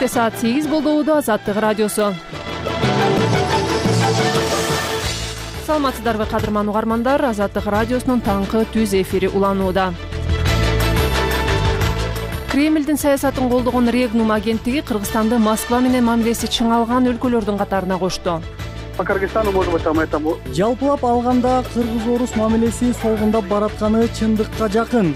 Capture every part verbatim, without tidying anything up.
Кечте саат сегиз болду. Азаттык радиосу. Саламатсыздарбы кадырман угармандар, Азаттык радиосунун таңкы түз эфири уланууда. Кремлдин саясатын колдогон Регнум агенттиги Кыргызстанды Москва менен мамилеси чыңалган өлкөлөрдүн катарына кошту. По Кыргызстану можно быть этому. Жалпылап алганда кыргыз-орус мамилеси солгундап баратканы чындыкка жакын.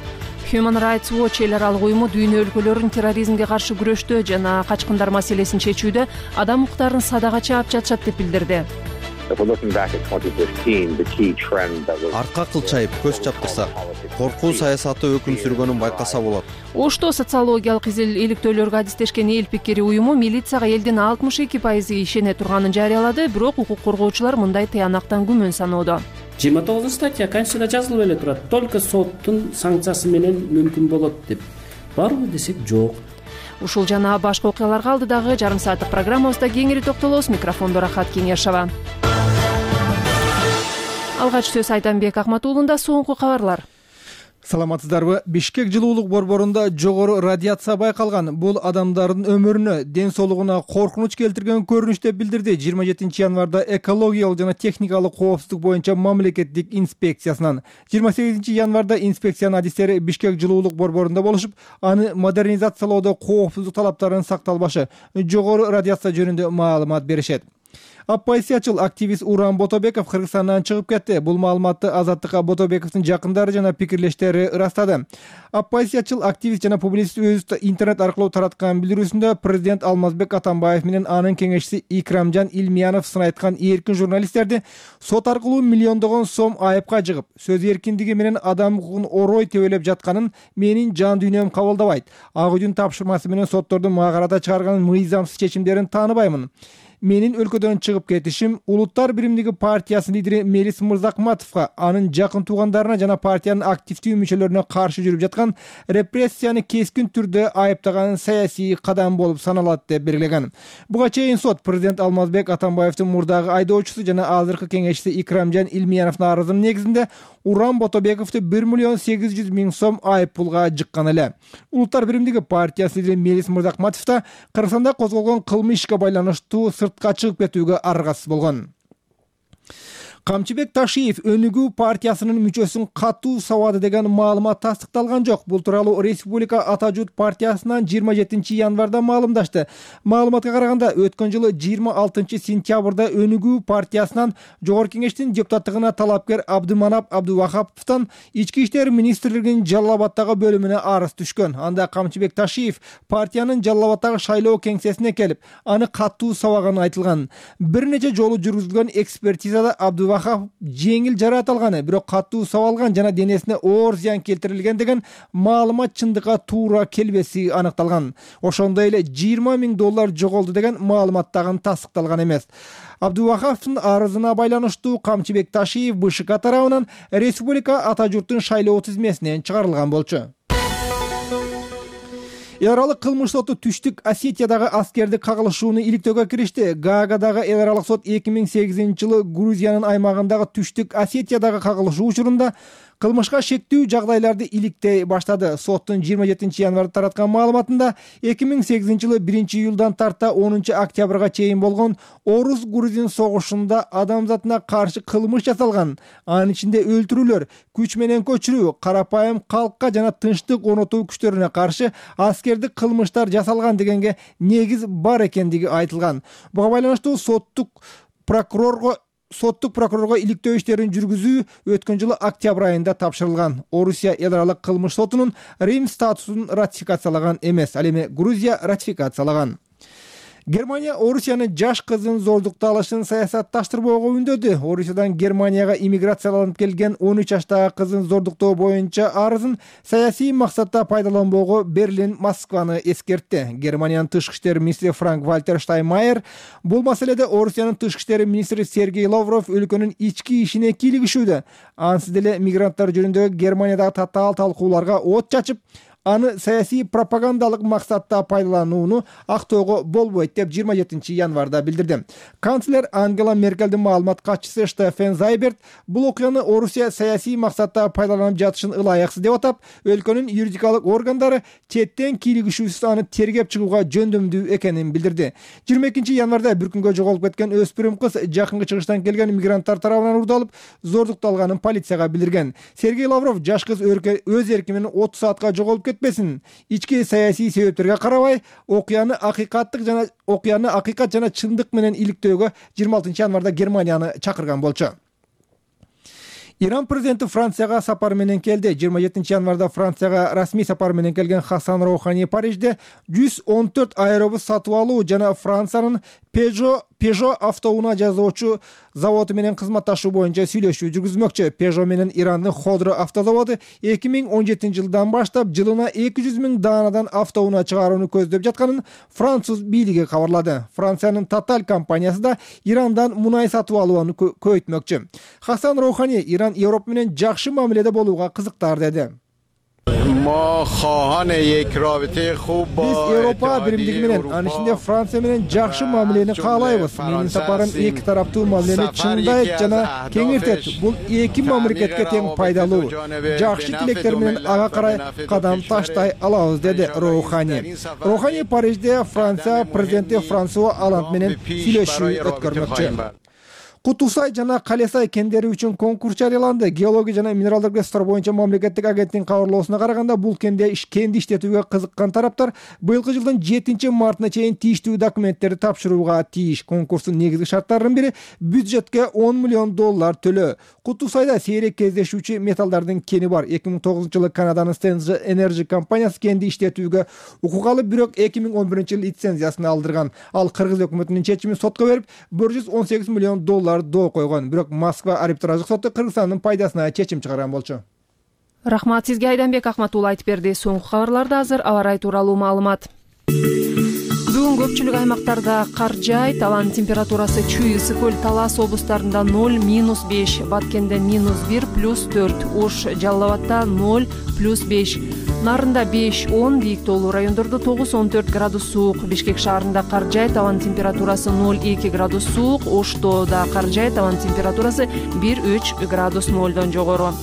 Human Rights Watch эл аралык уюму дүйнө өлкөлөрүн терроризмге каршы күрөштө жана качкындар маселесин чечүүдө адам укуктарын садага чаап жатышат деп билдирди. Арка кылчайып көз чаптырсак, коркуу саясаты өкүм сүргөнүн байкаса болот. Ошто социологиялык иликтөөлөргө адистешкен эл пикири уюму милицияга элдин алтымыш эки пайызы ишене турганын жарыялады, бирок укук коргоочулар мындай тыянактан күмөн саноодо. жыйырма тогузунчу статья Конституцияда жазылып эле турат. Только соттун санкциясы менен мүмкүн болот деп. Барбы десек жок. Ушул жана башка окуяларга алдыдагы жарым сааттык программабызда кеңири токтолобуз. Микрофондо Рахат Кеңешова. Алгач сөз Айтанбек Акматуулунда соңку кабарлар. Саламатсыздарбы? Бишкек жылуулук борборунда жогору радиация байкалган. Бул адамдардын өмүрүнө, ден соолугуна коркунуч келтирген көрүнүш деп билдирди жыйырма жетинчи январда экологиялык жана техникалык коопсуздук боюнча мамлекеттик инспекциясынан. жыйырма сегизинчи январда инспекциянын адистери Бишкек жылуулук борборунда болушуп, аны модернизациялоодо коопсуздук талаптарын сакталбашы, жогору радиация жөнүндө маалымат беришет. Оппозициячыл активист Уран Ботобеков Кыргызстандан чыгып кетти. Бул маалыматты Азаттыкка Ботобековдун жакындары жана пикирлештери ырастады. Оппозициячыл активист жана публицист өзү интернет аркылуу тараткан билдирүүсүндө президент Алмазбек Атамбаев менен анын кеңешчиси Икрамжан Илмиянов сын айткан эркин журналисттерди сот аркылуу миллиондогон сом айыпка жыгып, сөз эркиндиги менен адам укугун орой тебелеп жатканын менин жан дүйнөм кабылдабайт. Ак үйдүн тапшырмасы менен соттордун мага карата чыгарган мыйзамсыз чечимдерин тааныбаймын. Менин өлкөдөн чыгып кетишим Улуттар биримдиги партиясынын лидери Мелис Мырзакматовго, анын жакын туугандарына жана партиянын активдүү мүчөлөрүнө каршы жүрүп жаткан репрессияны кескин түрдө айыптаган саясий кадам болуп саналат деп белгилеген. Буга чейин сот президент Алмазбек Атамбаевдин мурдагы айдоочусу жана азыркы кеңешчиси Икрамжан Илмияновдун арызынын негизинде Уран Ботобековду бир миллион сегиз жүз миң сом айып пулга жыккан эле. Улуттар биримдиги партиясынын лидери Мелис Мырзакматов да Кыргызстанда козголгон кылмыш ишке байланыштуу сыртка чыгып кетүүгө аргасыз болгон. Камчыбек Ташиев Өнүгүү партиясынын мүчөсүн катуу сабады деген маалымат тастыкталган жок. Бул тууралуу Республика Ата журт партиясынан жыйырма жетинчи январда маалымдашты. Маалыматка караганда, өткөн жылы жыйырма алтынчы сентябрда Өнүгүү партиясынан жогорку кеңештин депутаттыгына талапкер Абдыманап Абдувахаповдон ички иштер министрлигинин Жалал Абаддагы бөлүмүнө арыз түшкөн. Анда Камчыбек Ташиев партиянын Жалал Абаддагы шайлоо кеңсесине келип, аны катуу сабаганы айтылган. Бир нече жолу жүргүзүлгөн экспертизада Абдувахапов жеңил жараат алганы, бирок катуу сабалган жана денесине оор зыян келтирилген деген маалымат чындыкка туура келбеси аныкталган. Ошондой эле жыйырма миң доллар жоголду деген маалымат дагы тастыкталган эмес. Абдувахаповдун арызына байланыштуу Камчыбек Ташиев БШК тарабынан Республика Ата журттун шайлоо тизмесинен чыгарылган болчу. Эл аралык кылмыш соту Түштүк Осетиядагы аскердик кагылышууну иликтөөгө киришти. Гаагадагы эл аралык сот эки миң сегизинчи жылы Грузиянын аймагындагы Түштүк Осетиядагы кагылышуу учурунда кылмышка шектүү жагдайларды иликтей баштады. Соттун жыйырма жетинчи январда тараткан маалыматында эки миң сегизинчи жылы биринчи июлдан тарта онунчу октябрга чейин болгон Орус-Грузин согушунда адамзатына каршы кылмыш жасалган. Анын ичинде өлтүрүүлөр, күч менен көчүрүү, карапайым калкка жана тынчтык орнотуу күчтөрүнө каршы аскердик кылмыштар жасалган дегенге негиз бар экендиги айтылган. Буга байланыштуу соттук прокурорго соттук прокурорго иликтөө иштерин жүргүзүү өткөн жылы октябрь айында тапшырылган. Орусия эл аралык кылмыш сотунун Рим статусун ратификациялаган эмес, ал эми Грузия ратификациялаган. Германия Орусиянын жаш кызын зордукта алышын саясатташтырбоого үндөдү. Орусиядан Германияга иммиграцияланып келген он үч жаштагы кызын зордуктоо боюнча арызын саясий максатта пайдаланбоого Берлин Москваны эскертти. Германиянын тышкы иштер министри Франк Вальтер Штайнмайер бул маселеде Орусиянын тышкы иштер министри Сергей Лавров өлкөнүн ички ишине кийлигишүүдө. Ансыз деле мигранттар жөнүндө Германиядагы татаал талкууларга от чачып, аны саясий пропагандалык максатта пайдаланууну актоого болбойт деп жыйырма жетинчи январда билдирди. Канцлер Ангела Меркелдин маалымат катчысы Штефен Зайберт бул окуяны Орусия саясий максатта пайдаланып жатышын ылайыксыз деп атап, өлкөнүн юридикалык органдары четтен кийлигишүүсүз аны тергеп чыгууга жөндөмдүү экенин билдирди. жыйырма экинчи январда бир күнгө жоголуп кеткен өспүрүм кыз жакынкы чыгыштан келген мигранттар тарабынан урдалып, зордукталганын полицияга билдирген. Сергей Лавров жаш кыз өз эрки менен отуз саатка жоголуп кетпесин, ички саясий себептерге карабай, окуяны акыйкаттык жана окуяны акыйкат жана чындык менен иликтөөгө жыйырма алтынчы январда Германияны чакырган болчу. Иран президенти Францияга сапар менен келди. жыйырма жетинчи январда Францияга расмий сапар менен келген Хасан Роухани Парижде жүз он төрт аэробус сатып алуу жана Франциянын Peugeot Peugeot автоунаа жасоочу заводу менен кызматташуу боюнча сүйлөшүү жүргүзмөкчү. Peugeot менен Ирандын Ходро автозаводу эки миң он жетинчи жылдан баштап жылына эки жүз миң даанадан автоунаа чыгарууну көздөп жатканын француз бийлиги кабарлады. Франциянын Total компаниясы да Ирандан мунай сатып алууну көбөйтмөкчү. Хасан Роухани Иран Европа менен жакшы мамиледе болууга кызыктар деди. Биз Европа биримдиги менен, анын ичинде Франция менен жакшы мамилени каалайбыз. Менин сапарым эки тараптуу мамилени чыңдайт жана кеңиртет. Бул эки мамлекетке тең пайдалуу. Жакшы тилектер менен ага карай кадам таштай алабыз, деди Роухани. Роухани Парижде Франция президенти Франсуа Олланд менен сүйлөшүү өткөрмөкчү. Кутусай жана Калесай кендери үчүн конкурс жарыяланды. Геология жана минералдык ресурстар боюнча мамлекеттик агенттиктин кабарлоосуна караганда, бул кенде кенди иштетүүгө кызыккан тараптар быйылкы жылдын жетинчи мартына чейин тийиштүү документтерди тапшырууга тийиш. Конкурстун негизги шарттарынын бири бюджетке он миллион доллар төлөө. Кутусайда сейрек кездешүүчү металлдардын кени бар. эки миң тогузунчу жылы Канаданын Stens Energy компаниясы кенди иштетүүгө укук алып, бирок эки миң он биринчи жылы лицензиясын алдырган. Ал Кыргыз өкмөтүнүн чечимин сотко берип, бир жүз он сегиз миллион доллар доо койгон. Бирок Москва арбитраждык соту Кыргызстандын пайдасына чечим чыгарган болчу. Рахмат сизге, Айданбек Акматулла айтып берди. Соңку кабарларда азыр аба ырайы тууралуу маалымат. Бүгүн көпчүлүк аймактарда кар жаайт, абанын температурасы Чүй, Ысык көл, Талас облустарында ноль, минус беш, Баткенде минус бир, плюс төрт, Ош, Жалал Абадда ноль, плюс беш, Нарында беш, он, бийик тоолуу райондордо тогуз, он төрт градус суук, Бишкек шаарында кар жаайт, абанын температурасы ноль, эки градус суук, Ошто да кар жаайт, абанын температурасы бир, үч градус нолдон жогору.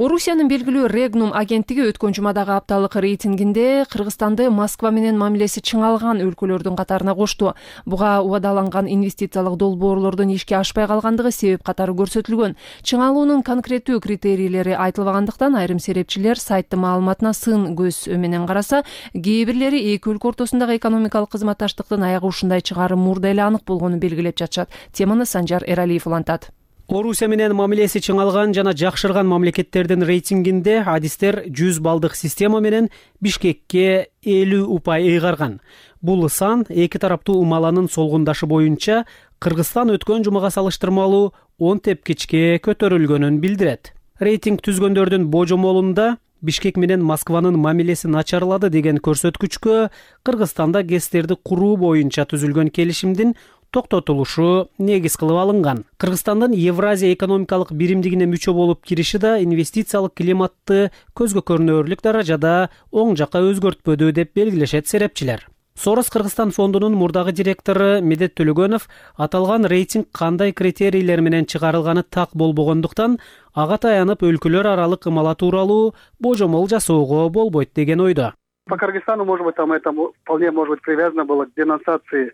Орусиянын белгилүү Регнум агенттиги өткөн жумадагы апталык рейтингинде Кыргызстанды Москва менен мамилеси чыңалган өлкөлөрдүн катарына кошту. Буга убадаланган инвестициялык долбоорлордун ишке ашпай калгандыгы себеп катары көрсөтүлгөн. Чыңалуунун конкреттүү критерийлери айтылбагандыктан айрым серепчилер сайттын маалыматына сын көз менен караса, кээ бирлери эки өлкө ортосундагы экономикалык кызматташтыктын аягы ушундай чыгары мурда эле анык болгонун белгилеп жатышат. Теманы Санжар Эралиев улантат. Орусия менен мамилеси чыңалган жана жакшырган мамлекеттердин рейтингинде адистер жүз балдык система менен Бишкекке элүү упай ыйгарган. Бул сан эки тараптуу умаланын солгундашы боюнча Кыргызстан өткөн жумага салыштырмалуу он тепкичке көтөрүлгөнүн билдирет. Рейтинг түзгөндөрдүн божомолунда Бишкек менен Москванын мамилеси начарлады деген көрсөткүчкө Кыргызстанда ГЭСтерди куруу боюнча түзүлгөн келишимдин токтотулушу негиз кылып алынган. Кыргызстандын Евразия экономикалык биримдигине мүчө болуп кириши да инвестициялык климатты көзгө көрүнөрлүк даражада оң жакка өзгөртпөдү деп белгилешет серепчилер. Сорос Кыргызстан фондунун мурдагы директору Медет Төлөгөнов аталган рейтинг кандай критерийлер менен чыгарылганы так болбогондуктан ага таянып өлкөлөр аралык ымала тууралуу божомол жасоого болбойт деген ойдо. По Кыргызстану, может быть, там это вполне может быть привязано было к денонсации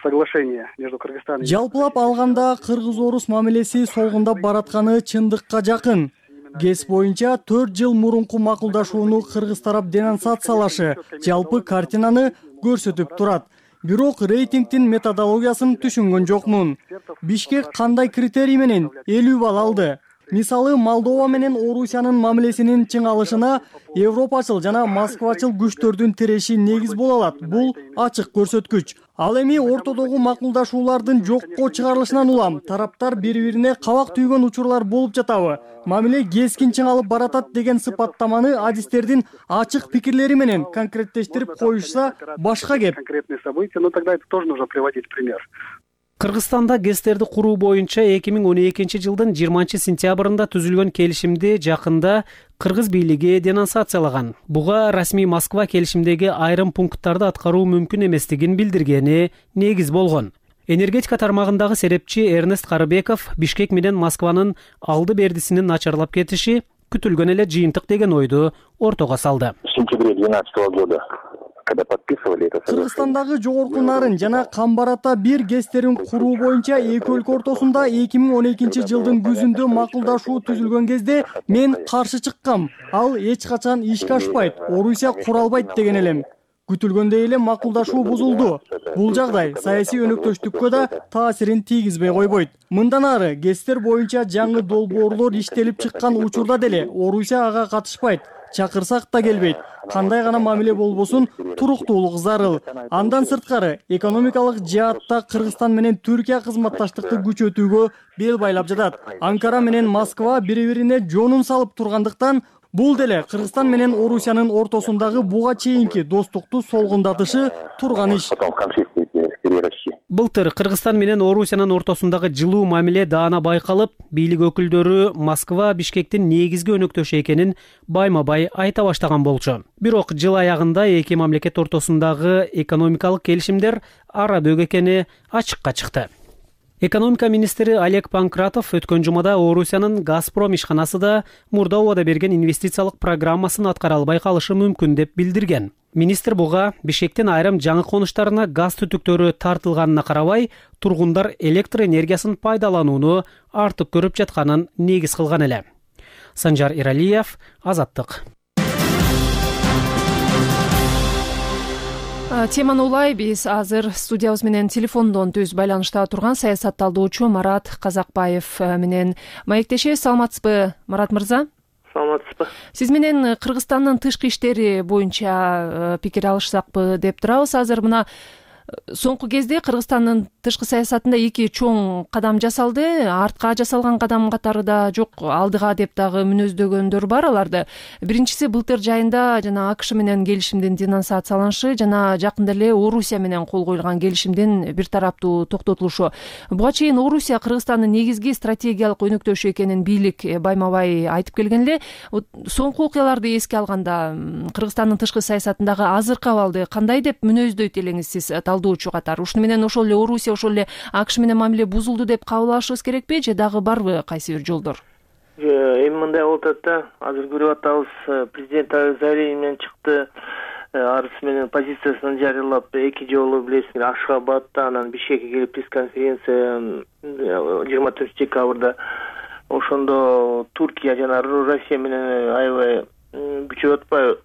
соглашения между Кыргызстаном. Жалпылап алганда кыргыз-орус мамилеси солгундап баратканы чындыкка жакын. ГЭС боюнча төрт жыл мурунку макулдашууну кыргыз тарап денонсациялашы жалпы картинаны көрсөтүп турат. Бирок рейтингдин методологиясын түшүнгөн жокмун. Бишкек кандай критерий менен элүү балл алды? Мисалы Молдова менен Орусиянын мамилесинин чыңалышына европачыл жана москвачыл күчтөрдүн тиреши негиз боло алат. Бул ачык көрсөткүч. Ал эми ортодогу макулдашуулардын жокко чыгарылышынан улам тараптар бири-бирине кабак түйгөн учурлар болуп жатабы? Мамиле кескин чыңалып баратат деген сыпаттаманы адистердин ачык пикирлери менен конкреттештирип коюшса башка кеп. Конкретные события, но тогда это тоже нужно приводить пример. Кыргызстанда ГЭСтерди куруу боюнча эки миң он экинчи жылдын жыйырманчы сентябрында түзүлгөн келишимди жакында кыргыз бийлиги денонсациялаган. Буга расмий Москва келишимдеги айрым пункттарды аткаруу мүмкүн эместигин билдиргени негиз болгон. Энергетика тармагындагы серепчи Эрнест Карыбеков Бишкек менен Москванын алды бердисинин начарлап кетиши күтүлгөн эле жыйынтык деген ойду ортого салды. В сентябре двенадцатого года когда подписывали это соглашение. Кыргызстандагы жогорку нарын жана Камбарата бир ГЭСтерин куруу боюнча эки өлкө ортосунда эки миң он экинчи жылдын күзүндө макулдашуу түзүлгөн кезде мен каршы чыккам. Ал эч качан ишке ашпайт, Орусия куралбайт деген элем. Күтүлгөндөй эле макулдашуу бузулду. Бул жагдай саясий өнөктөштүккө да таасирин тийгизбей койбойт. Мындан ары ГЭСтер боюнча жаңы долбоорлор иштелип чыккан учурда деле Орусия ага катышпайт. Чакырсак да келбейт. Кандай гана мамиле болбосун туруктуулук зарыл. Андан сырткары экономикалык жаатта Кыргызстан менен Түркия кызматташтыкты күчөтүүгө бел байлап жатат. Анкара менен Москва бири-бирине жонун салып тургандыктан бул деле Кыргызстан менен Орусиянын ортосундагы буга чейинки достукту солгундатышы турган иш. Былтыр Кыргызстан менен Орусиянын ортосундагы жылуу мамиле даана байкалып, бийлик өкүлдөрү Москва Бишкектин негизги өнөктөшү экенин байма-бай айта баштаган болчу. Бирок жыл аягында эки мамлекет ортосундагы экономикалык келишимдер ара бөк экени ачыкка чыкты. Экономика министри Олег Панкратов өткөн жумада Орусиянын Газпром ишканасы да мурда убада берген инвестициялык программасын аткара албай калышы мүмкүн деп билдирген. Министр буга Бишкектин айрым жаңы конуштарына газ түтүктөрү тартылганына карабай, тургундар электр энергиясын пайдаланууну артып көрүп жатканын негиз кылган эле. Санжар Иралиев, Азаттык. Теманы улай биз азыр студиябыз менен телефондон түз байланышта турган саясатталдоочу Марат Казакбаев менен маектешебиз. Саламатсызбы, Марат мырза? Саламатсызбы. Сиз менен Кыргызстандын тышкы иштери боюнча пикир алышсакпы деп турабыз. Азыр мына соңку кезде Кыргызстандын тышкы саясатында эки чоң кадам жасалды. Артка жасалган кадам катары да жок, алдыга деп дагы мүнөздөгөндөр бар аларды. Биринчиси былтыр жайында жана АКШ менен келишимдин денонсацияланышы жана жакында эле Орусия менен кол коюлган келишимдин бир тараптуу токтотулушу. Буга чейин Орусия Кыргызстандын негизги стратегиялык өнөктөшү экенин бийлик байма-бай айтып келген эле. Соңку окуяларды эске алганда Кыргызстандын тышкы саясатындагы азыркы абалды кандай деп мүнөздөйт элеңиз сиз талдоочу катары? Ушуну менен ошол эле Орусия ошол эле АКШ менен мамиле бузулду деп кабыл алышыбыз керекпи же дагы барбы кайсы бир жолдор? Эми мындай болуп атат да, азыр көрүп атабыз, президент заявление менен чыкты, арыз менен позициясын жарыялап, эки жолу билесиңер Ашхабадта, анан Бишкекке келип пресс-конференция жыйырма төртүнчү декабрда. Ошондо Туркия жана Россия менен аябай күчөп атпайбы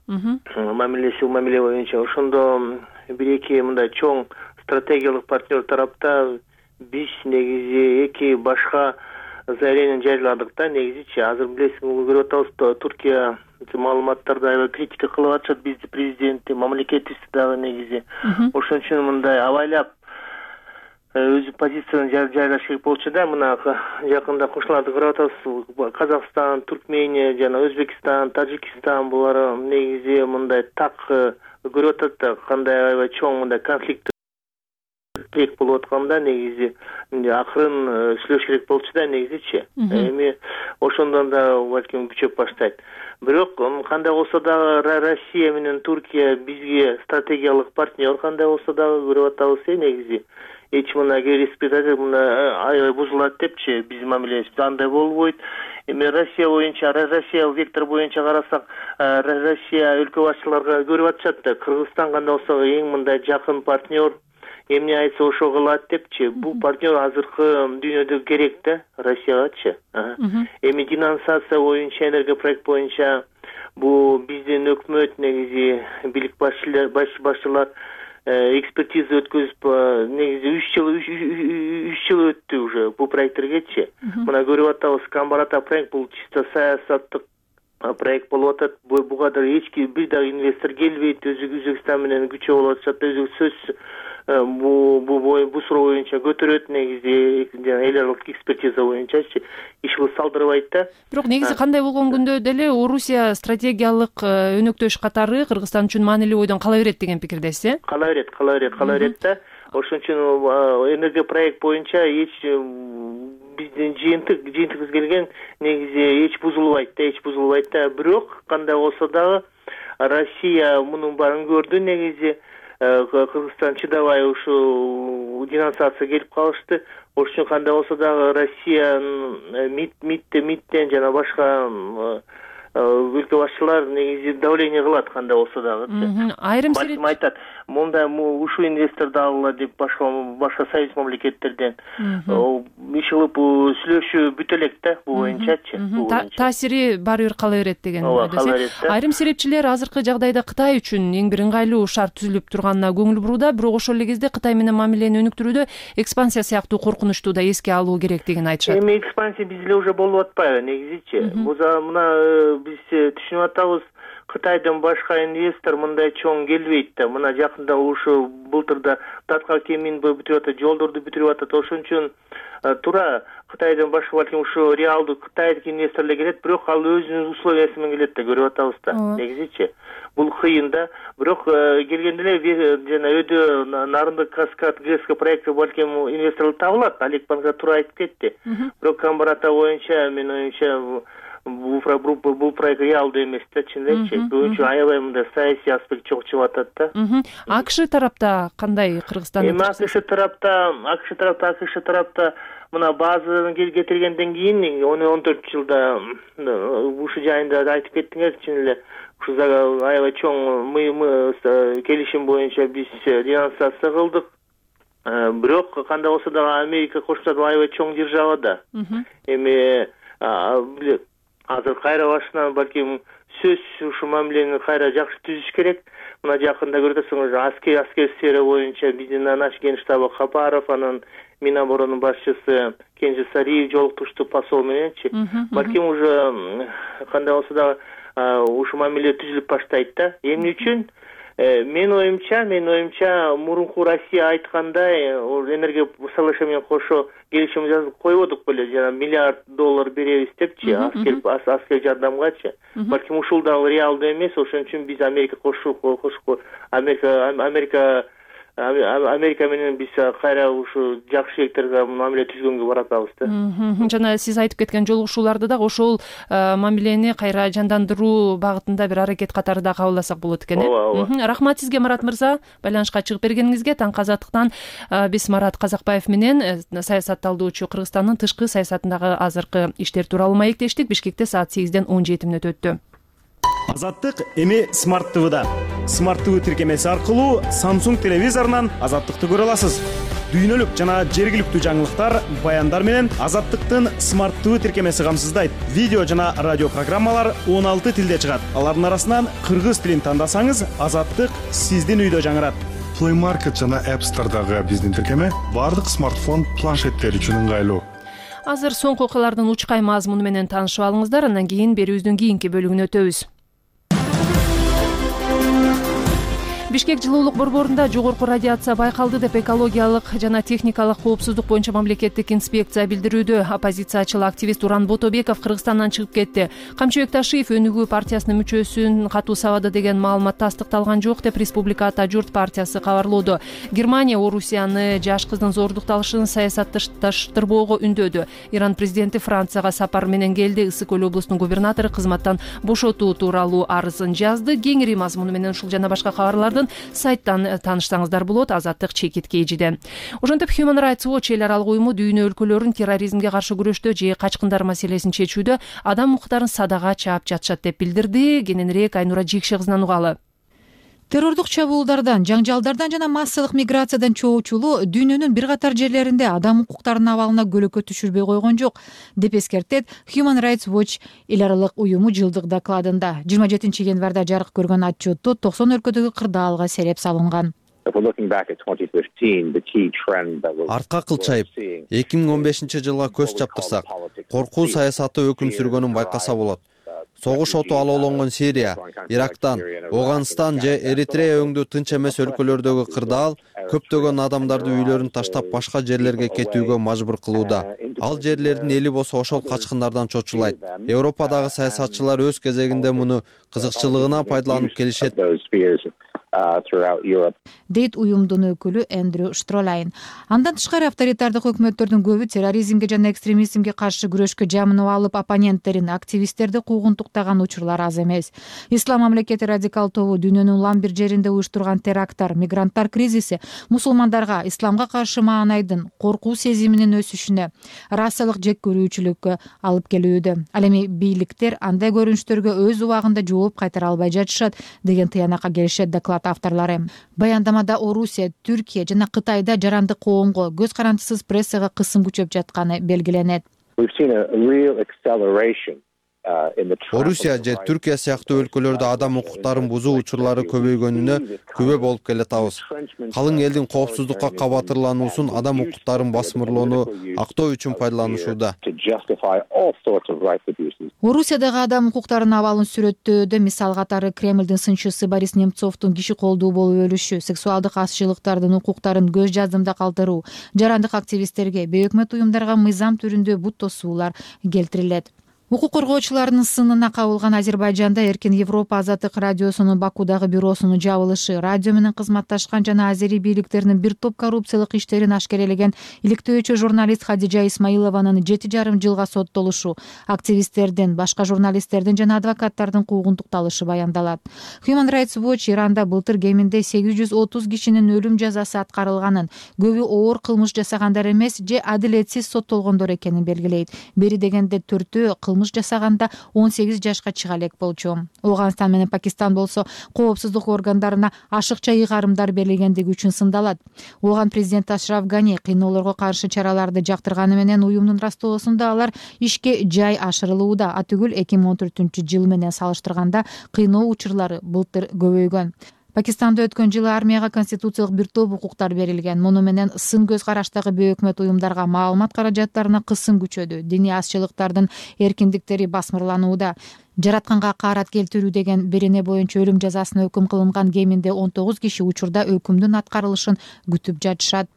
мамилеси мамиле боюнча. Ошондо бир-эки мындай чоң стратегиялык партнер тарапта биз негизи эки башка заявление жарыяладык да, негизичи. Азыр билесиң, көрүп атабыз, Туркия маалыматтарды аябай критика кылып атышат бизди президенти, мамлекетибизди дагы негизи. Ошон үчүн мындай абайлап өзү позицияны жарыялаш керек болчу да. Мына жакында кошуналарды көрүп атабыз, Казакстан, Туркмения жана Өзбекстан, Тажикстан булар негизи мындай так көрүп атат да, кандай аябай чоң мындай конфликт тирек болуп атканда негизи акырын сүйлөш керек болчу да негизичи. Эми ошондон да балким күчөп баштайт. Бирок кандай болсо дагы Россия менен Туркия бизге стратегиялык партнер, кандай болсо дагы көрүп атабыз негизи. Эч мына респирация мына аябай бузулат депчи, биздин мамилебиз андай болбойт. Эми Россия боюнча, Россия вектор боюнча карасак, Россия өлкө башчыларга көрүп атышат да, Кыргызстан кандай болсо эң мындай жакын партнер, эмне айтса ошо кылат депчи. Бул партнер азыркы дүйнөдө керек да Россиягачы. Эми денонсация боюнча, энергопроект боюнча бул биздин өкмөт негизи бийлик башчылар экспертиза өткөзүп негизи үч жыл үч жыл өттү уже бул проекттергечи. Мына көрүп атабыз, Камбарата проект бул чисто саясаттык проект болуп атат. Буга да эч ким бир дагы инвестор келбейт. Өзбекстан менен күчөө болуп атышат. Өзү сөз бу бу бу суроо боюнча көтөрөт негизи жана эл аралык экспертиза боюнчачы иш кылып салдырбайт да. Бирок негизи кандай болгон күндө деле Орусия стратегиялык өнөктөш катары Кыргызстан үчүн маанилүү бойдон кала берет деген пикирдесиз, э? Кала берет, кала берет, кала берет да. Ошон үчүн энергия проект боюнча эч биздин жыйынтык жыйынтыгыбыз келген негизи эч бузулбайт да, эч бузулбайт да. Бирок кандай болсо дагы Россия мунун баарын көрдү негизи. Кыргызстан чыдабай ушул денонсация келип калышты. Ошон үчүн кандай болсо дагы Россиянын МИДтен МИДтен жана башка өлкө башчылар негизи давление кылат кандай болсо дагы. Айрым сереп айтат, мында ушул инвесторду алгыла деп башка башка союз мамлекеттерден иш кылып сүйлөшүү бүтө элек да бул боюнчачы. Таасири баары бир кала берет деген ойдосуз. Айрым серепчилер азыркы жагдайда Кытай үчүн эң бир ыңгайлуу шарт түзүлүп турганына көңүл бурууда, бирок ошол эле кезде Кытай менен мамилени өнүктүрүүдө экспансия сыяктуу коркунучту да эске алуу керек деген айтышат. Эми экспансия бизде уже болуп атпайбы негизичи? Буза мына биз түшүнүп атабыз, Кытайдан башка инвестор мындай чоң келбейт да. Мына жакында ушу былтырда Татка кемин бүтүрүп атат, жолдорду бүтүрүп атат. Ошон үчүн туура Кытайдан башка балким ушу реалдуу Кытайдык инвесторлор келет, бирок ал өзүнүн условиясы менен келет да, көрүп атабыз да. Негизичи бул кыйын да. Бирок келгенде эле жана өдө Нарындык Каскад ГЭС проекти балким инвесторлор табылат. Олег Панга туура айтып кетти. Бирок Камбарата боюнча менин оюмча бул проект реалдуу эмес да, чындап эле. Бүгүнчө аябай мындай саясий аспект чогуу чыгып атат да. АКШ тарапта кандай Кыргызстан? Эми АКШ тарапта, АКШ тарапта, АКШ тарапта мына базаны кетиргенден кийин он төрт жылда ушу жайында айтып кеттиңер, чын эле ушу аябай чоң мы келишим боюнча биз денонсация кылдык. Бирок кандай болсо дагы Америка Кошмо Штат аябай чоң держава да. Эми азыр кайра башынан балким сөз ушу мамилени кайра жакшы түзүш керек. Мына жакында көрүп атасыңыз, аскер аскер сфера боюнча биздин наш генштабы Капаров, анан Миноборонун башчысы Кенже Сариев жолуктушту посол мененчи. Балким уже кандай болсо дагы ушу мамиле түзүлүп баштайт да. Эмне үчүн? Мен оюмча, мен оюмча мурунку Россия айткандай, энергия соглашение менен кошо келишим жазып койбодук беле, жана миллиард доллар беребиз депчи, аскер аскер жардамгачы. Балким ушул дагы реалдуу эмес, ошон үчүн биз Америка кошуп кошуп Америка Америка Америка менен биз кайра ушу жакшы шектерге мамиле түзгөнгө баратабыз да. Жана сиз айтып кеткен жолугушууларды дагы ошол мамилени кайра жандандыруу багытында бир аракет катары да кабылдасак болот экен, э? Рахмат сизге, Марат мырза, байланышка чыгып бергениңизге. Таңкы Азаттыктан биз Марат Казакбаев менен саясат талдоочу Кыргызстандын тышкы саясатындагы азыркы иштер тууралуу маектештик. Бишкекте саат сегизден он жети мүнөт өттү. Азаттык эми Смарт ТВда. Смарт ТВ тиркемеси аркылуу Samsung телевизорунан Азаттыкты көрө аласыз. Дүйнөлүк жана жергиликтүү жаңылыктар, баяндар менен Азаттыктын Смарт ТВ тиркемеси камсыздайт. Видео жана радио программалар он алты тилде чыгат. Алардын арасынан кыргыз тилин тандасаңыз, Азаттык сиздин үйдө жаңырат. Play Market жана App Store'дагы биздин тиркеме бардык смартфон, планшеттер үчүн ыңгайлуу. Азыр соңку окуялардын учкай мазмуну менен таанышып алыңыздар, андан кийин берүүбүздүн кийинки бөлүгүнө өтөбүз. Бишкек жылуулук борборунда жогорку радиация байкалды деп экологиялык жана техникалык коопсуздук боюнча мамлекеттик инспекция билдирүүдө. Оппозициячыл активист Уран Ботобеков Кыргызстандан чыгып кетти. Камчыбек Ташиев Өнүгүү партиясынын мүчөсүн катуу сабады деген маалымат тастыкталган жок деп Республика Ата журт партиясы кабарлоодо. Германия Орусияны жаш кыздын зордукталышын саясатташтырбоого үндөдү. Иран президенти Францияга сапар менен келди. Ысык көл облусунун губернатору кызматтан бошотуу тууралуу арызын жазды. Кеңири мазмуну менен ушул жана башка кабарларды сайттан таанышсаңыздар болот. Азаттык чекит кейжиде. Ошентип Human Rights Watch эл аралык уюму дүйнө өлкөлөрүн терроризмге каршы күрөштө же качкындар маселесин чечүүдө адам укуктарын садага чаап жатышат деп билдирди. Кененирээк Айнура Жикше кызынан угалы. Террордук чабуулдардан, жаңжалдардан жана массалык миграциядан чоочулуу дүйнөнүн бир катар жерлеринде адам укуктарынын абалына көлөкө түшүрбөй койгон жок деп эскертет Human Rights Watch эл аралык уюму жылдык докладында. жыйырма жетинчи январда жарык көргөн отчетто токсон өлкөдөгү кырдаалга сереп салынган. артка кылчайып эки миң он бешинчи жылга көз чаптырсак, коркуу саясаты өкүм сүргөнүн байкаса болот. Согуш оту алоолонгон Сирия, Ирактан, Афганистан же Эритрея өңдүү тынч эмес өлкөлөрдөгү кырдаал көптөгөн адамдарды үйлөрүн таштап башка жерлерге кетүүгө мажбур кылууда. Ал жерлердин эли болсо ошол качкындардан чочулайт. Европадагы саясатчылар өз кезегинде муну кызыкчылыгына пайдаланып келишет, дейт уюмдун өкүлү Эндрю Штролайн. Андан тышкары авторитардык өкмөттөрдүн көбү терроризмге жана экстремизмге каршы күрөшкө жамынып алып, оппоненттерин, активисттерди куугунтуктаган учурлар аз эмес. Ислам мамлекети радикал тобу дүйнөнүн улам бир жеринде уюштурган теракттар, мигранттар кризиси мусулмандарга исламга каршы маанайдын коркуу сезиминин өсүшүнө, расалык жеккөрүүчүлүккө алып келүүдө. Ал эми бийликтер андай көрүнүштөргө өз убагында жооп кайтара албай жатышат деген тыянакка келишет доклад авторлору. Баяндамада Орусия, Түркия жана Кытайда жарандык коомго, көз карандысыз прессага кысым күчөп жатканы белгиленет. Орусия же Түркия сыяктуу өлкөлөрдө адам укуктарын бузуу учурлары көбөйгөнүнө күбө болуп келатабыз. Калың элдин коопсуздукка кабатырлануусун адам укуктарын басмырлоону актоо үчүн пайдаланышууда. Орусиядагы адам укуктарынын абалын сүрөттөөдө мисал катары Кремлдин сынчысы Борис Немцовдун киши колдуу болуп өлүшү, сексуалдык азчылыктардын укуктарын көз жаздымда калтыруу, жарандык активисттерге, бейөкмөт уюмдарга мыйзам түрүндө бут тосуулар келтирилет. Укук коргоочулардын сынына кабылган Азербайжанда Эркин Европа азаттык радиосунун Бакудагы бюросунун жабылышы, радио менен кызматташкан жана азери бийликтеринин бир топ коррупциялык иштерин ашкерелеген иликтөөчү журналист Хадижа Исмаилованын жети жарым жылга соттолушу, активисттердин, башка журналисттердин жана адвокаттардын куугунтукталышы баяндалат. Human Rights Watch Иранда былтыр кеминде сегиз жүз отуз кишинин өлүм жазасы аткарылганын, көбү оор кылмыш жасагандар эмес же адилетсиз соттолгондор экенин белгилейт. Бери дегенде төртөө кылмыш жасаганда он сегиз жашка чыга элек болчу. Афганистан менен Пакистан болсо коопсуздук органдарына ашыкча ыйгарымдар берилгендиги үчүн сындалат. Оған президент Ашраф Гани кыйноолорго каршы чараларды жактырганы менен уюмдун растоосунда алар ишке жай ашырылууда. Атүгүл эки миң он төртүнчү жыл менен салыштырганда кыйноо учурлары былтыр көбөйгөн. Пакистанда өткөн жылы армияга конституциялык бир топ укуктар берилген. Муну менен сын көз караштагы бейөкмөт уюмдарга маалымат каражаттарына кысым күчөдү. Диний азчылыктардын эркиндиктери басмырланууда. Жаратканга каарат келтирүү деген берене боюнча өлүм жазасына өкүм кылынган кеминде он тогуз киши учурда өкүмдүн аткарылышын күтүп жатышат.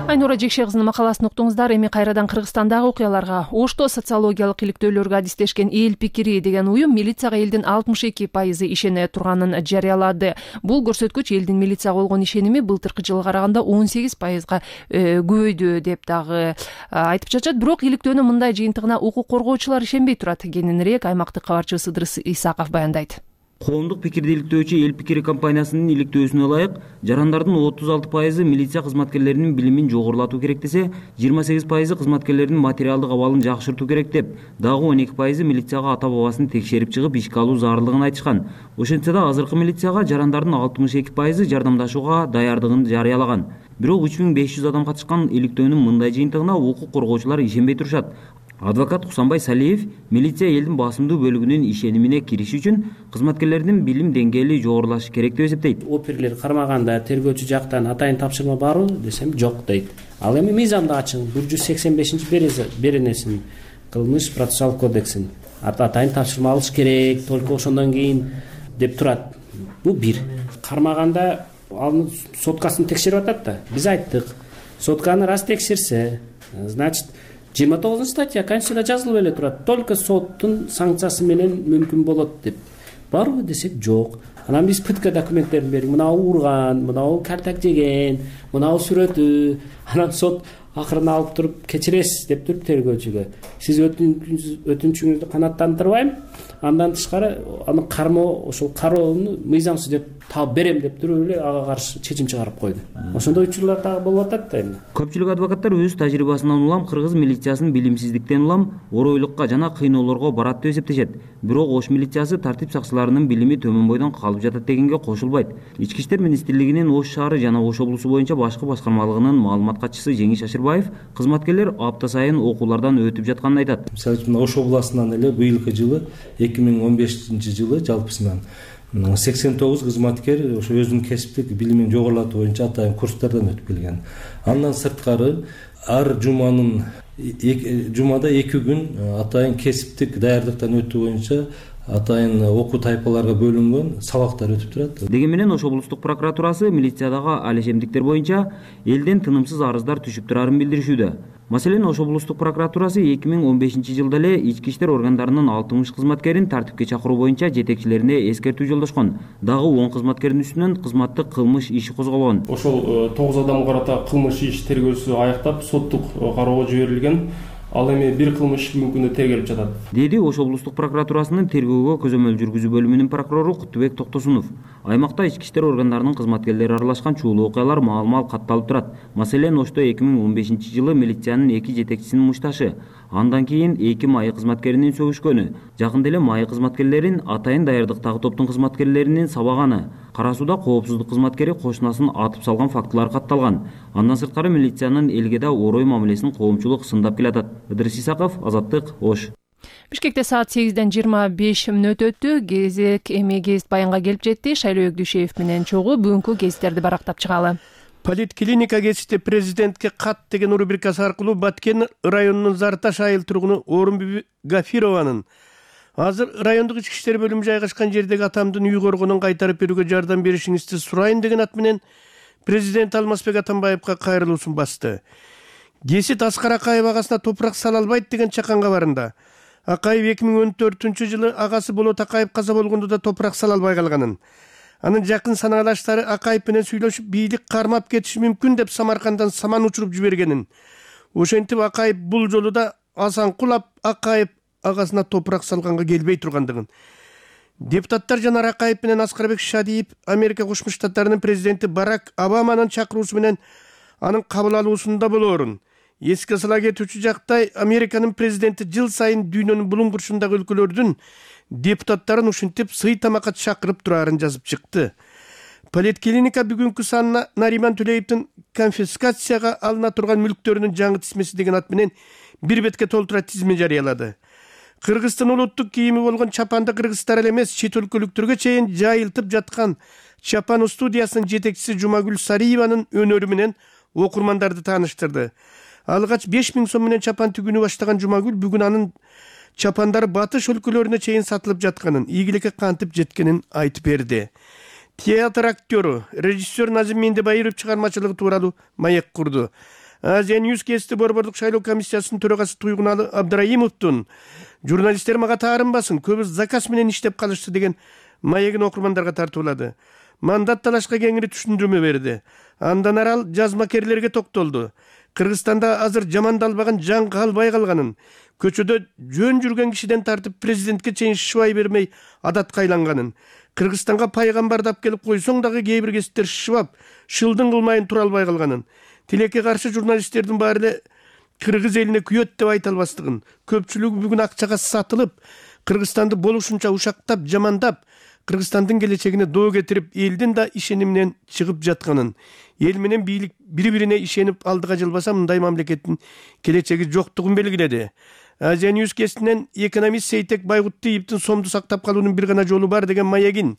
Айнура Жекше кызынын макаласын уктуңуздар. Эми кайрадан Кыргызстандагы окуяларга. Ошто социологиялык иликтөөлөргө адистешкен Эл пикири деген уюм милицияга элдин алтымыш эки пайызы ишене турганын жарыялады. Бул көрсөткүч элдин милицияга болгон ишеними былтыркы жылга караганда он сегиз пайызга көбөйдү деп дагы айтып жатышат. Бирок иликтөөнүн мындай жыйынтыгына укук коргоочулар ишенбей турат. Кененирээк аймактык кабарчыбыз Ыдырыс Исаков баяндайт. Коомдук пикирди иликтөөчү Эл пикири компаниясынын иликтөөсүнө ылайык, жарандардын отуз алты пайызы милиция кызматкерлеринин билимин жогорулатуу керек десе, жыйырма сегиз пайызы кызматкерлердин материалдык абалын жакшыртуу керек деп, дагы он эки пайызы милицияга ата-бабасын текшерип чыгып ишке алуу зарылдыгын айтышкан. Ошентсе да азыркы милицияга жарандардын алтымыш эки пайызы жардамдашууга даярдыгын жарыялаган. Бирок үч миң беш жүз адам катышкан иликтөөнүн мындай жыйынтыгына укук коргоочулар ишенбей турушат. Адвокат Кусанбай Салиев милиция элдин басымдуу бөлүгүнүн ишенимине кириш үчүн кызматкерлердин билим деңгээли жогорулашы керек деп эсептейт. Оперлер кармаганда тергөөчү жактан атайын тапшырма барбы десем жок дейт. Ал эми мыйзамда ачык бир жүз сексен бешинчи беренесин кылмыш процессуалдык кодексин атайын тапшырма алыш керек, только ошондон кийин деп турат. Бул бир. Кармаганда анын соткасын текшерип атат да. Биз айттык, сотканы раз текшерсе, значит жыйырма тогузунчу статья Конституцияда жазылып эле турат. Только соттун санкциясы менен мүмкүн болот деп. Барбы десек жок. Анан биз пытка документтерин бердик. Мынау урган, мынау картак жеген, мынау сүрөтү. Анан сот акырын алып туруп кечиресиз деп туруп тергөөчүгө. Сиз өтүнүчүңүздү канааттандырбайм. Андан тышкары аны кармоо, ошол кароону мыйзамсыз деп таап берем деп туруп эле ага каршы чечим чыгарып койду. Ошондой учурлар дагы болуп атат да эми. Көпчүлүк адвокаттар өз тажрыйбасынан улам кыргыз милициясынын билимсиздиктен улам оройлукка жана кыйноолорго барат деп эсептешет. Бирок Ош милициясы тартип сакчыларынын билими төмөн бойдон калып жатат дегенге кошулбайт. Ички иштер министрлигинин Ош шаары жана Ош облусу боюнча башкы башкармалыгынын маалымат катчысы Жеңиш Ашырбаев кызматкерлер апта сайын окуулардан өтүп жатканын айтат. Мисалы үчүн Ош областынан эле быйылкы жылы эки миң он бешинчи жылы жалпысынан сексен тогуз кызматкер ошо өзүнүн кесиптик билимин жогорулатуу боюнча атайын курстардан өтүп келген. Андан сырткары ар жуманын жумада эки күн атайын кесиптик даярдыктан өтүү боюнча атайын окуу тайпаларга бөлүнгөн сабактар өтүп турат. Деген менен Ош облустук прокуратурасы милициядагы алешемдиктер боюнча элден тынымсыз арыздар түшүп турарын билдиришүүдө. Маселен, Ош облустук прокуратурасы эки миң он бешинчи жылда эле ички иштер органдарынын алтымыш кызматкерин тартипке чакыруу боюнча жетекчилерине эскертүү жолдошкон. Дагы он кызматкердин үстүнөн кызматтык кылмыш иши козголгон. Ошол тогуз адамга карата кылмыш иш тергөөсү аяктап, соттук кароого жиберилген. Ал эми бир кылмыш бүгүнкү күндө тергелип жатат, деди Ош облустук прокуратурасынын тергөөгө көзөмөл жүргүзүү бөлүмүнүн прокурору Куттубек Токтосунов. Аймакта ички иштер органдарынын кызматкерлери аралашкан чуулуу окуялар маал-мал катталып турат. Маселен, Ошто эки миң он бешинчи жылы милициянын эки жетекчисинин мушташы, андан кийин эки майы кызматкеринин сөгүшкөнү, жакында эле майы кызматкерлерин атайын даярдыктагы топтун кызматкерлеринин сабаганы, Кара сууда коопсуздук кызматкери кошунасын атып салган фактылар катталган. Андан сырткары милициянын элге да орой мамилесин коомчулук сындап келатат. Ыдырыс Исаков, Азаттык, Ош. Бишкекте саат сегизден жыйырма беш мүнөт өттү. Кезек эми гезит баянга келип жетти. Шайлоо Өкдүшеев менен чогуу бүгүнкү гезиттерди барактап чыгалы. Политклиника гезити президентке кат деген рубрикасы аркылуу Баткен районунун Зарташ айыл тургуну Орунбүбү Гафированын азыр райондук ички иштер бөлүмү жайгашкан жердеги атамдын үй коргонун кайтарып берүүгө жардам беришиңизди сурайын деген ат менен президент Алмазбек Атамбаевга кайрылуусун басты. Гесит Аскар Акаев агасына топурак сала албайт деген чакан кабарында. Акаев эки миң он төртүнчү жылы агасы Болот Акаев каза болгондо да топурак сала албай калганын. Анын жакын санаалаштары Акаев менен сүйлөшүп, бийлик кармап кетиши мүмкүн деп Самаркандан саман учуруп жибергенин. Ошентип Акаев бул жолу да асан кулап Акаев агасына топурак салганга келбей тургандыгын. Депутаттар Жанар Акаев менен Аскарбек Шадиев Америка Кошмо Штаттарынын президенти Барак Обаманын чакыруусу менен анын кабыл алуусунда болоорун. Эске сала кетүүчү жактай, Американын президенти жыл сайын дүйнөнүн булуң бурчундагы өлкөлөрдүн депутаттарын ушинтип сый тамакка чакырып турарын жазып чыкты. Политклиника бүгүнкү санына Нариман Төлеевдин конфискацияга алына турган мүлктөрүнүн жаңы тизмеси деген ат менен бир бетке толтура тизме жарыялады. Кыргызстан улуттук кийими болгон чапанды кыргыздар эле эмес, чет өлкөлүктөргө чейин жайылтып жаткан Чапан студиясынын жетекчиси Жумагүл Сариеванын өнөрү менен окурмандарды тааныштырды. Алгач беш миң сом менен чапан тигүүнү баштаган Жумагүл бүгүн анын чапандары батыш өлкөлөрүнө чейин сатылып жатканын, ийгиликке кантип жеткенин айтып берди. Театр актёру, режиссер Назим Мендебайыров чыгармачылыгы тууралуу маек курду. Азия Ньюс кести борбордук шайлоо комиссиясынын төрагасы Туйгуналы Абдраимовдун журналисттер мага таарынбасын, көбү заказ менен иштеп калышты деген маегин окурмандарга тартуулады. Мандат талашка кеңири түшүндүрмө берди. Андан арал жазмакерлерге токтолду. Кыргызстанда азыр жамандалбаган жан калбай калганын, көчөдө жөн жүргөн кишиден тартып президентке чейин шыбай бермей адатка айланганын, Кыргызстанга пайгамбарды алып келип койсоң дагы кээ бир кесиптер шыбап, шылдың кылмайын тура албай калганын, тилекке каршы журналисттердин баары эле кыргыз элине күйөт деп айта албастыгын, көпчүлүгү бүгүн акчага сатылып, Кыргызстанды болушунча ушактап, жамандап, Кыргызстандын келечегине доо кетирип, элдин да ишениминен чыгып жатканын, эл менен бийлик бири-бирине ишенип алдыга жылбаса мындай мамлекеттин келечеги жоктугун белгиледи. Азия Ньюс кестинен экономист Сейтек Байгуттиевдин сомду сактап калуунун бир гана жолу бар деген маегин,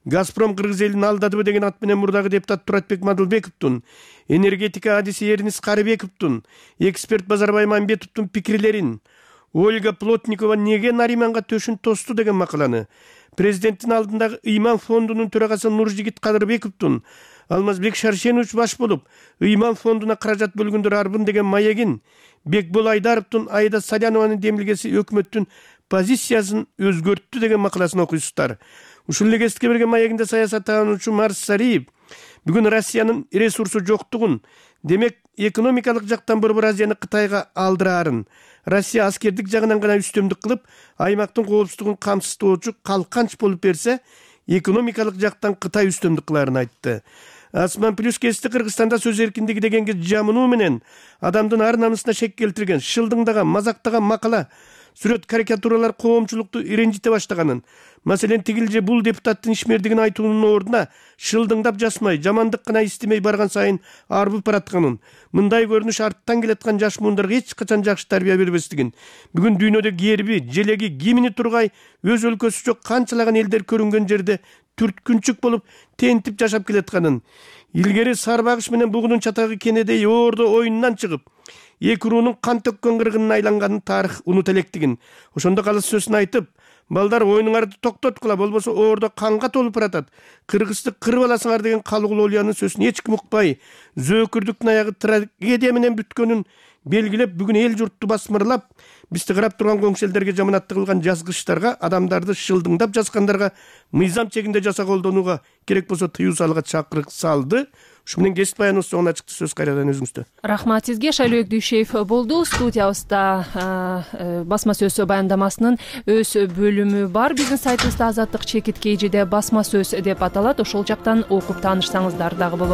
Газпром кыргыз элин алдадыбы деген ат менен мурдагы депутат Туратбек Мадылбековдун, энергетика адиси Эрнис Карыбековдун, эксперт Базарбай Мамбетовдун пикирлерин, Ольга Плотникова неге Нариманга төшүн тосту деген макаланы, президенттин алдындагы Ыйман фондунун төрагасы Нуржигит Кадырбековдун, Алмазбек Шаршенович баш болуп, Ыйман фондуна каражат бөлгөндөр арбын деген маегин, Бекбол Айдаровдун Айда Салянованын демилгеси өкмөттүн позициясын өзгөрттү деген макаласын окуйсуздар. Ушул эле кесипке берген маегинде саясаттануучу Марс Сариев бүгүн Россиянын ресурсу жоктугун, демек экономикалык жактан Борбор Азияны Кытайга алдырарын, Россия аскердик жагынан гана үстөмдүк кылып, аймактын коопсуздугун камсыздоочу калканч болуп берсе, экономикалык жактан Кытай үстөмдүк кыларын айтты. Асман плюс кести Кыргызстанда сөз эркиндиги дегенге жамынуу менен адамдын ар намысына шек келтирген, шылдыңдаган, мазактаган макала сүрөт карикатуралар коомчулукту иренжите баштаганын, маселен тигил же бул депутаттын ишмердигин айтуунун ордуна шылдыңдап жасмай, жамандык гана истемей барган сайын арбып баратканын, мындай көрүнүш арттан келаткан жаш муундарга эч качан жакшы тарбия бербестигин, бүгүн дүйнөдө герби, желеги, гимни тургай өз өлкөсү жок канчалаган элдер көрүнгөн жерде түрткүнчүк болуп тентип жашап келатканын, илгери Сарбагыш менен бугунун чатагы кенедей оордо оюнунан чыгып, эки уруунун кан төккөн кыргынына айланганын тарых унута электигин, ошондо калыс сөзүн айтып, балдар оюнуңарды токтоткула, болбосо оордо канга толуп баратат, кыргызды кырып аласыңар деген Калыгул Олиянын сөзүн эч ким укпай, зөөкүрдүктүн аягы трагедия менен бүткөнүн белгилеп, бүгүн эл журтту басмырлап, бизди карап турган коңшу элдерге жаманатты кылган жазгычтарга, адамдарды шылдыңдап жазгандарга мыйзам чегинде жаса колдонууга, керек болсо тыюу салууга чакырык салды. Ушу менен кесип баяныбыз соңуна чыкты. Сөз кайрадан өзүңүздө. Рахмат сизге. Шайлообек Дүйшеев болду. Студиябызда басма сөз баяндамасынын өз бөлүмү бар. Биздин сайтыбызда Азаттык чекит кей жеде басма сөз деп аталат. Ошол жактан окуп таанышсаңыздар дагы болот.